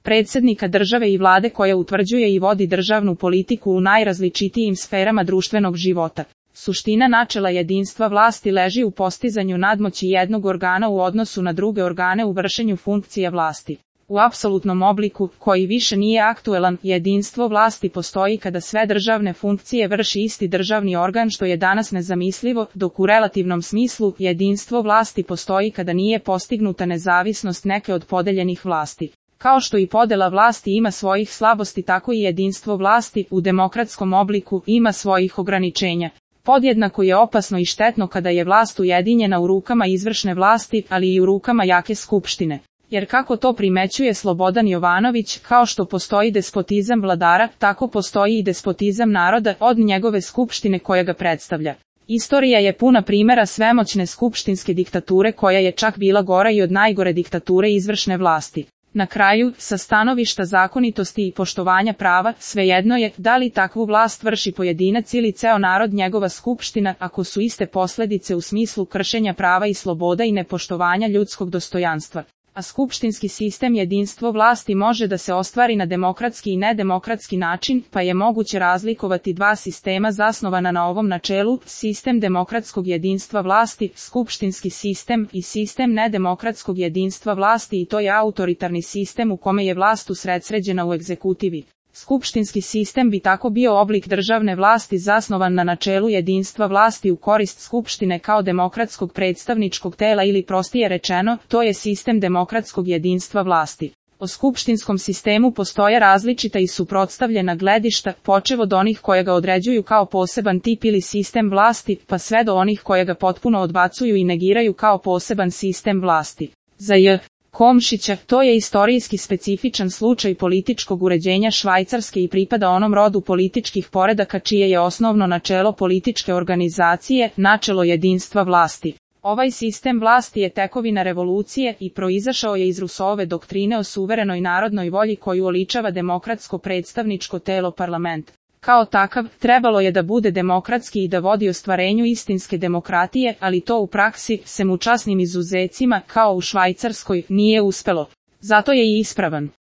predsjednika države i vlade koja utvrđuje i vodi državnu politiku u najrazličitijim sferama društvenog života. Suština načela jedinstva vlasti leži u postizanju nadmoći jednog organa u odnosu na druge organe u vršenju funkcija vlasti. U apsolutnom obliku, koji više nije aktuelan, jedinstvo vlasti postoji kada sve državne funkcije vrši isti državni organ, što je danas nezamislivo, dok u relativnom smislu jedinstvo vlasti postoji kada nije postignuta nezavisnost neke od podeljenih vlasti. Kao što i podela vlasti ima svojih slabosti, tako i jedinstvo vlasti u demokratskom obliku ima svojih ograničenja. Podjednako je opasno i štetno kada je vlast ujedinjena u rukama izvršne vlasti, ali i u rukama jake skupštine. Jer kako to primećuje Slobodan Jovanović, kao što postoji despotizam vladara, tako postoji i despotizam naroda od njegove skupštine koja ga predstavlja. Istorija je puna primjera svemoćne skupštinske diktature koja je čak bila gora i od najgore diktature izvršne vlasti. Na kraju, sa stanovišta zakonitosti i poštovanja prava, svejedno je da li takvu vlast vrši pojedinac ili ceo narod, njegova skupština, ako su iste posljedice u smislu kršenja prava i sloboda i nepoštovanja ljudskog dostojanstva. A skupštinski sistem jedinstvo vlasti može da se ostvari na demokratski i nedemokratski način, pa je moguće razlikovati dva sistema zasnovana na ovom načelu: sistem demokratskog jedinstva vlasti, skupštinski sistem, i sistem nedemokratskog jedinstva vlasti, i to je autoritarni sistem u kome je vlast usredsređena u egzekutivi. Skupštinski sistem bi tako bio oblik državne vlasti zasnovan na načelu jedinstva vlasti u korist skupštine kao demokratskog predstavničkog tela, ili prostije rečeno, to je sistem demokratskog jedinstva vlasti. O skupštinskom sistemu postoje različita i suprotstavljena gledišta, počev od onih koje ga određuju kao poseban tip ili sistem vlasti, pa sve do onih koje ga potpuno odbacuju i negiraju kao poseban sistem vlasti. Za J. Komšića, to je istorijski specifičan slučaj političkog uređenja Švajcarske i pripada onom rodu političkih poredaka čije je osnovno načelo političke organizacije, načelo jedinstva vlasti. Ovaj sistem vlasti je tekovina revolucije i proizašao je iz Rousseauove doktrine o suverenoj narodnoj volji koju oličava demokratsko predstavničko telo parlament. Kao takav, trebalo je da bude demokratski i da vodi ostvarenju istinske demokratije, ali to u praksi, sem u časnim izuzecima, kao u Švajcarskoj, nije uspelo. Zato je i ispravan.